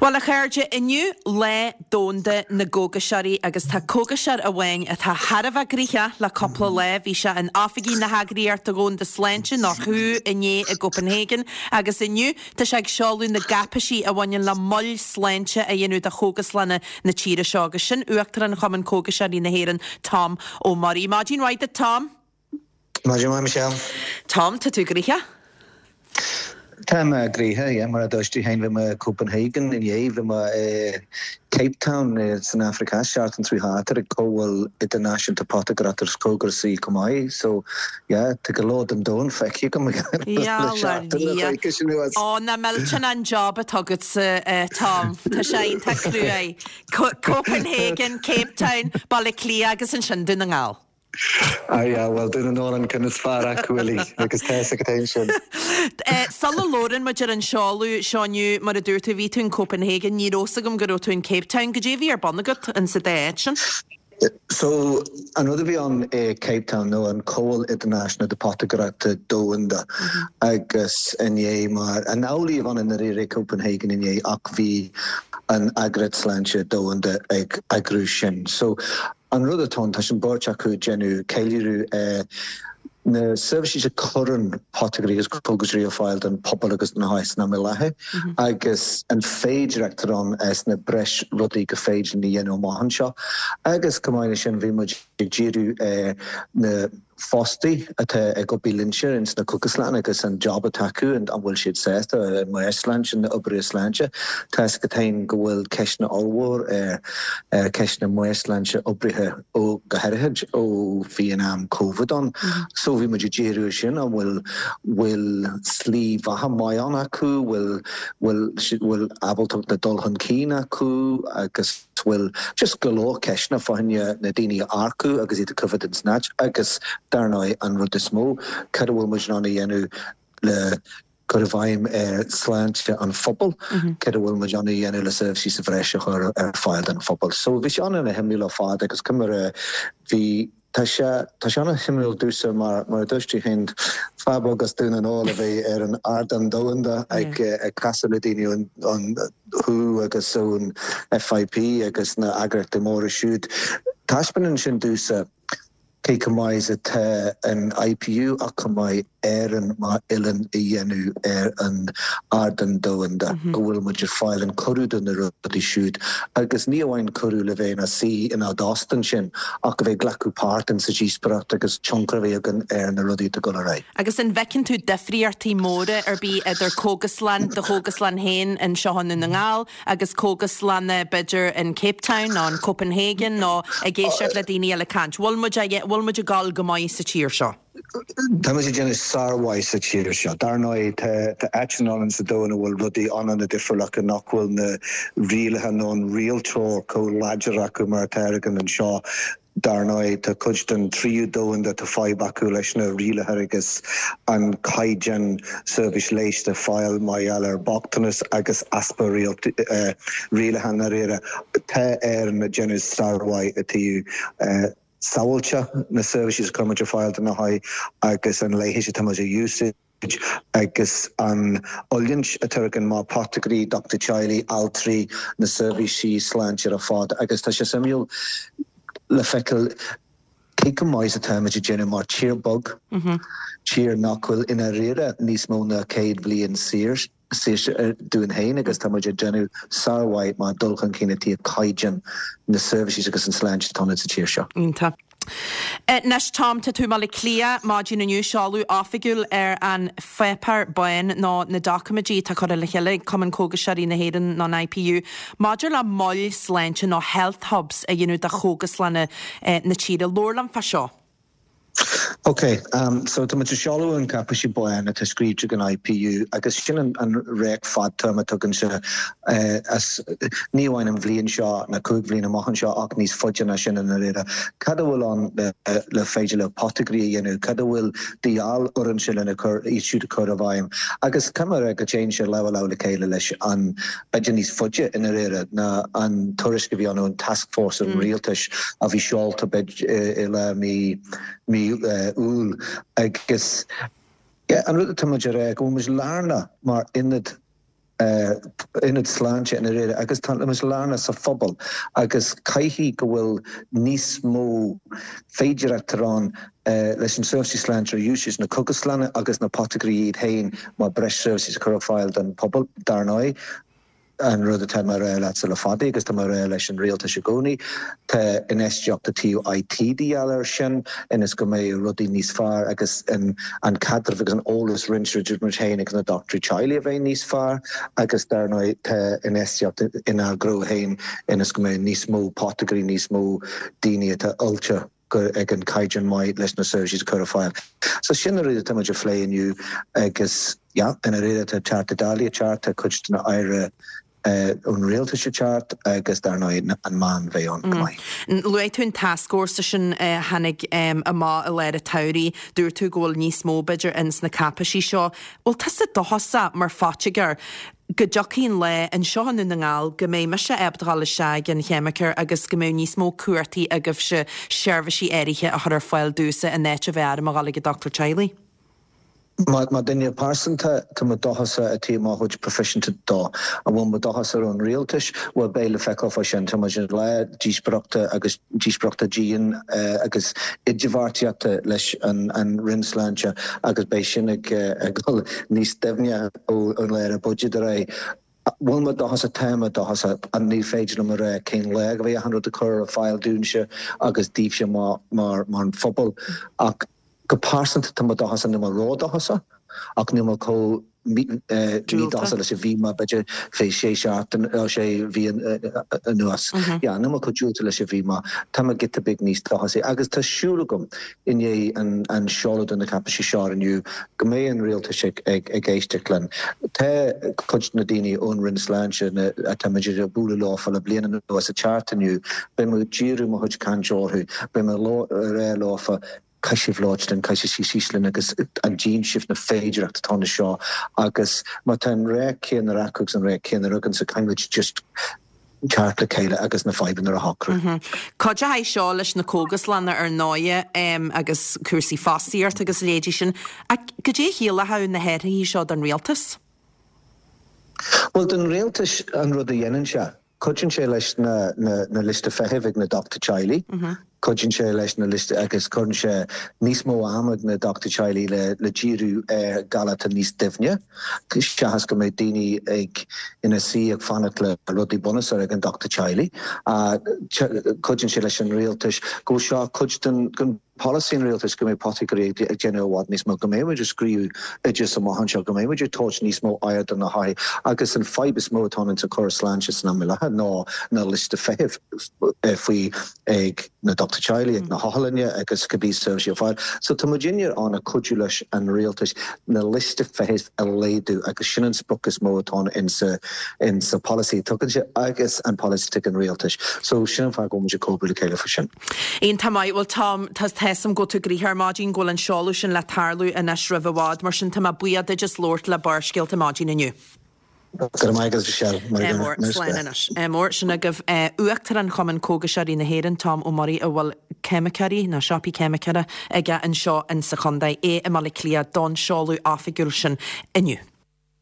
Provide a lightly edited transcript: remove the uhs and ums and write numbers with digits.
Bhuel, a chairde, inniu Lá Domhanda na gCógaiseoirí agus tá cógaiseoir amháin atá thar a bheith gnoitheach le cúpla lá. Bhí sé in oifigí na hEagraíochta Dhomhanda Sláinte, nó who, inné i gCopenhagen agus inniu tá sé ag seoladh na gcáipéisí a bhaineann le moil sláinte a dhéanamh do chógaslanna na tíre seo agus sin Uachtarán Chumann Cógaiseoirí na hÉireann, Tom Ó Muirí. Maidin mhaith duit, Tom. Maidin mhaith, Michelle. Tom, tá tú gnoitheach? Tá mé gnoitheach, yeah. Mar a dúirt tú féin, bhí mé i Copenhagen inné, bhí mé i Cape Town san Afraic Theas seachtain seo chuaigh thart ag Comhdháil Idirnáisiúnta Potagaireachta agus Cógasaí chomh maith. So, yeah, tá go leor den domhan feicthe agam le seachtain nó coicís anuas. Ó, nach millteanach an job atá agatsa, Tom. Tá sé iontach cruaidh. Copenhagen, Cape Town, Baile Átha Cliath agus ansin Dún na nGall. Ah yeah, bhuel, Dún na nGall an ceann is fearr acu uilig agus tá fhios agat féin sin. Sula labhrann muid ar an seoladh seo inniu, mar a dúirt tú, bhí tú in Copenhagen, ní raibh fhios agam go raibh tú in Cape Town. Goidé a bhí ar bun agat in sa dá áit sin? So, an rud a bhí ann i Cape Town nó an Comhdháil Idirnáisiúnta de Potagaireachta Domhanda agus inné mar, an amhlaidh a bhí ann i ndáiríre i Copenhagen inné ach bhí an Eagraíocht Sláinte Domhanda ag eagrú sin. So, An rud atá ann, tá an bheirt acu ag déanamh ceiliúradh ar na seirbhísí a chuireann potagairí agus cógaiseoirí ar fáil don phobal agus do na hothair san am i láthair agus an féidireacht atá ann sna breis rudaí go féidir linn a dhéanamh amach anseo. Agus chomh maith leis sin bhí muid ag díriú ar na fostaí atá ag obair linnse ins na cógaslanna agus an job atá acu, an bhfuil siad sásta, an meabhairshláinte, na oibrithe sláinte. Tá fhios agat féin go bhfuil ceisteanna ollmhór ar cheist na meabhairshláinte oibrithe ó go háirithe ó bhí an am Covid ann. So bhí muid ag díriú ar sin, an bhfuil bhfuil slí bheatha maith ann acu, bhfuil bhfuil bhfuil ábaltacht le dul chun cinn acu agus. bhfuil just go leor ceisteanna fá choinne na daoine a earcú agus iad a choimhéad ins an áit agus dar ndóigh an rud is mó, cad a bhfuil muid in ann a dhéanamh le cur i bhfeidhm ar shláinte an phobail, cad a bhfuil muid in ann a dhéanamh le seirbhísí sa bhreis a chur ar fáil don phobal. So bhí sé an-shuimiúil ar fad agus cuma bhí Tá sé, tá sé an-shuimiúil domhsa mar, mar a dúirt tú féin, fear beag as Dún na nGall a bheith ar an ardán domhanda ag, ag casadh le daoine ón, ón who agus ón FIP agus na eagraíochtaí móra siúd. Taispeánann sin domhsa cé chomh maith is atá an IPU ach chomh maith Éirinn mar oileán a dhéanamh ar an ardán domhanda, go bhfuil muid ag fáil an cuireadh do na rudaí siúd agus ní amháin cuireadh le bheith ina suí inár dtost ansin ach a bheith ag glacadh páirt in sa díospóireacht agus tionchar a bheith againn ar na rudaí atá ag dul ar aghaidh. Agus an bhfeiceann tú difríochtaí móra ar bith idir cógaslann, do chógaslann féin anseo i nDún na nGall agus cógaslanna b'fhéidir in Cape Town nó in Copenhagen nó ag éisteacht le daoine eile ag caint? Bhfuil muid, bhfuil muid ag dul go maith sa tír seo? Tá muid ag déanamh sármhaith sa tír seo. Dar ndóigh, tá áiteanna ann sa domhan a bhfuil rudaí an-an-difriúil acu, nach bhfuil na rialacha nó an rialtóir chomh láidir acu mar atá againn anseo. Dar ndóigh, tá cuid den tríú domhan atá fadhb acu leis na rialacha agus an caighdeán seirbhís leighis atá fáil mar gheall ar bochtanas agus easpa rialacha i ndáiríre. Tá Éirinn ag déanamh sármhaith i dtaobh sábháilteacht na seirbhísí a chuir muid ar fáil do na hothair agus an leigheas atá muid a úsáid agus an oiliúint atá againn mar potagairí, dochtúir teaghlaigh, altraí, na seirbhísí sláinte ar fad agus tá sé suimiúil le feiceáil cé chomh maith is atá muid ag déanamh mar tír beag, tír nach bhfuil i ndáiríre níos mó ná 100 bhliain saor. saoirse dúinn féin agus tá muid ag déanamh sármhaith mar dul chun cinn i dtaobh caighdeán na seirbhísí agus an sláinte atá ann sa tír seo. Iontach. Anois Tom, tá tú i mBaile Átha Cliath maidin inniu, seoladh oifigiúil ar an pháipéar bán nó na doiciméidí atá curtha le chéile ag Cumann Cógaiseoirí na hÉireann nó an IPU maidir le moil sláinte nó health hubs a dhéanamh de chógaslanna na tíre. Labhair liom fá seo. Ok, so tá muid ag seoladh an cáipéisí bán atá scríte ag an IPU agus sin an radharc fadtéarma atá againne as ní amháin an bhliain seo na 5 bhliain amach anseo ach níos faide ná sin i ndáiríre. Cad a bhfuil ann le féidir le potagairí a dhéanamh, cad a bhfuil de dhíobháil orainne lena cur iad siúd a chur i bhfeidhm agus caithfidh mé a rá go dtéann sé lámh i lámh le chéile leis an b'fhéidir níos faide i ndáiríre ná an tuairisc a bhí ann ón Task Force an Rialtais a bhí seolta i lár mí mí Iúil agus an rud atá muid a rá go bhfuil muid lárnach mar ionad. Ionad sláinte i ndáiríre agus tá muid lárnach sa phobal agus caithfidh go bhfuil níos mó féidireachta ann leis an seirbhísí sláinte ar úsáid na cógaslanna agus na potagairí iad féin mar breis seirbhísí a chur ar fáil don phobal dar ndóigh. An rud atá mé a rá leatsa le fada agus tá mé a rá leis an rialtas i gcónaí, tá infheistíocht i dtaobh IT de dhíobháil air sin ionas go mbeidh rudaí níos fearr agus an caidreamh agus an eolas roinnt idir muid féin agus na dochtúirí teaghlaigh a bheith níos fearr agus dar ndóigh tá infheistíocht inár ngnó féin ionas go mbeidh níos mó potagairí, níos mó daoine atá oilte. go ag an caighdeán maith leis na seirbhísí a chur ar fáil. So sin na rudaí atá muid a phlé inniu agus yeah, i ndáiríre tá Teachta Dála ag teacht, tá cuid de na Aire ón Rialtas ag teacht agus dar ndóigh an meán bheidh ann go maith. Luaigh tú an tascfhórsa sin a tháinig amach i lár an tsamhraidh. Dúirt tú go bhfuil níos mó b'fhéidir ins na cáipeisí seo. Bhfuil tusa dóchasach mar phoitigéir go dtiocfaidh an lá anseo i nDún na nGall go mbeidh mise ábalta dhul isteach ag an cheimiceoir agus go mbeidh níos mó cumhachtaí agaibhse seirbhísí áirithe a chur ar fáil domhsa in áit a bheith orm a dhul ag an dochtúir teaghlaigh. Mar duine pearsanta, tá mé dóchasach i dtaobh mo chuid proifisiúnta dó. An bhfuil mé dóchasach ar an rialtais? Bhuel, beidh le feiceáil fá sin. Tá muid i lá díospóireachta agus díospóireachta dian agus idirbheartaíochta leis an Roinn Sláinte agus beidh sin ag dul níos doimhne ón lá ar an buiséad ar aghaidh. Bhfuil mé dóchasach? Tá mé dóchasach. Ní féidir liom a rá cén lá go mbeidh achan rud á cur ar fáil dúinnse agus daoibhse mar an phobal ach go pearsanta tá mé dóchasach, níl mé ródhóchasach ach níl mé chomh mídhóchasach leis a bhí mé b'fhéidir fé sé seachtain nó sé mhí anuas. Yeah, níl mé chomh diúltach leis a bhí mé. Tá mé giota beag níos dóchasaí agus tá siúl agam i ndiaidh an seoladh de na cáipeisí seo inniu go mbeidh an rialtas ag éisteacht linn. Tá cuid de na daoine ón Roinn Sláinte atá muid ag bualadh leofa le bliain anuas ag teacht inniu. Beidh mé ag díriú mo chuid cainte orthu. Beidh mé ag rá leofa, caithfidh sibh labhairt linn, caithfidh sibh suí síos linn agus an dtchíonn sibh na féidearthachtaí atá anseo agus má tá an rogha céanna acu agus an rogha céanna agamsa, caithfidh muid just teacht le chéile agus na fadhbanna a shocrú. Cuideoidh seo leis na cógaslanna ar ndóighe agus cúrsaí fostaíochta agus a leithéidí sin. Ach goidé a chiallódh na hathruithe seo don rialtas? Bhuel, don rialtas an rud a dhéanann sé, cuidíonn sé leis na na liosta feithimh ag na dochtúirí teaghlaigh, cuidíonn sé leis na liosta agus cuireann sé níos mó ama ag na dochtúirí teaghlaigh le le díriú ar ghalair atá níos doimhne. Seachas go mbeidh daoine ag ina suí ag fanacht le rudaí bunúsacha ag an dochtúir teaghlaigh. Cuidíonn sé leis an rialtas go bhfuil seo cuid den polasaí an rialtais go mbeidh potagairí ag déanamh i bhfad níos mó, go mbeidh muid ag scríobh oideas amach anseo, go mbeidh muid ag tabhairt níos mó aird do na hothair agus an fadhb is mó atá ann sa chóras sláinte san am i láthair ná na liosta feithimh faoi ag na dochtúirí teaghlaigh, ag na hotharlainne agus cibé seirbhísí ar fáil. So tá muidinne ann ag cuidiú leis an rialtas na liosta feithimh a laghdú agus sin an sprioc is mó atá ann insa insa polasaí atá againne agus an polasaí atá ag an rialtas. So sin an fáth go bhfuil muid ag comhoibriú le chéile faoi sin. Iontach maith. Bhuel Tom, tá a fhios agam go bhfuil tú gnoitheach ar maidin, go bhfuil an seoladh sin le tarlú anois roimh i bhfad, mar sin tá mé buíoch duit as labhairt le Barrscéalta maidin inniu. Go raibh maith agat, Michelle. Mar Ádh mór. Slán anois. Ádh mór. Sin agaibh Uachtarán Chumann Cógaiseoirí na hÉireann, Tom Ó Muirí, a bhfuil ceimiceoirí, nó siopaí ceimiceora, aige anseo insa chontae, é i mBaile Átha Cliath don seoladh oifigiúil sin inniu.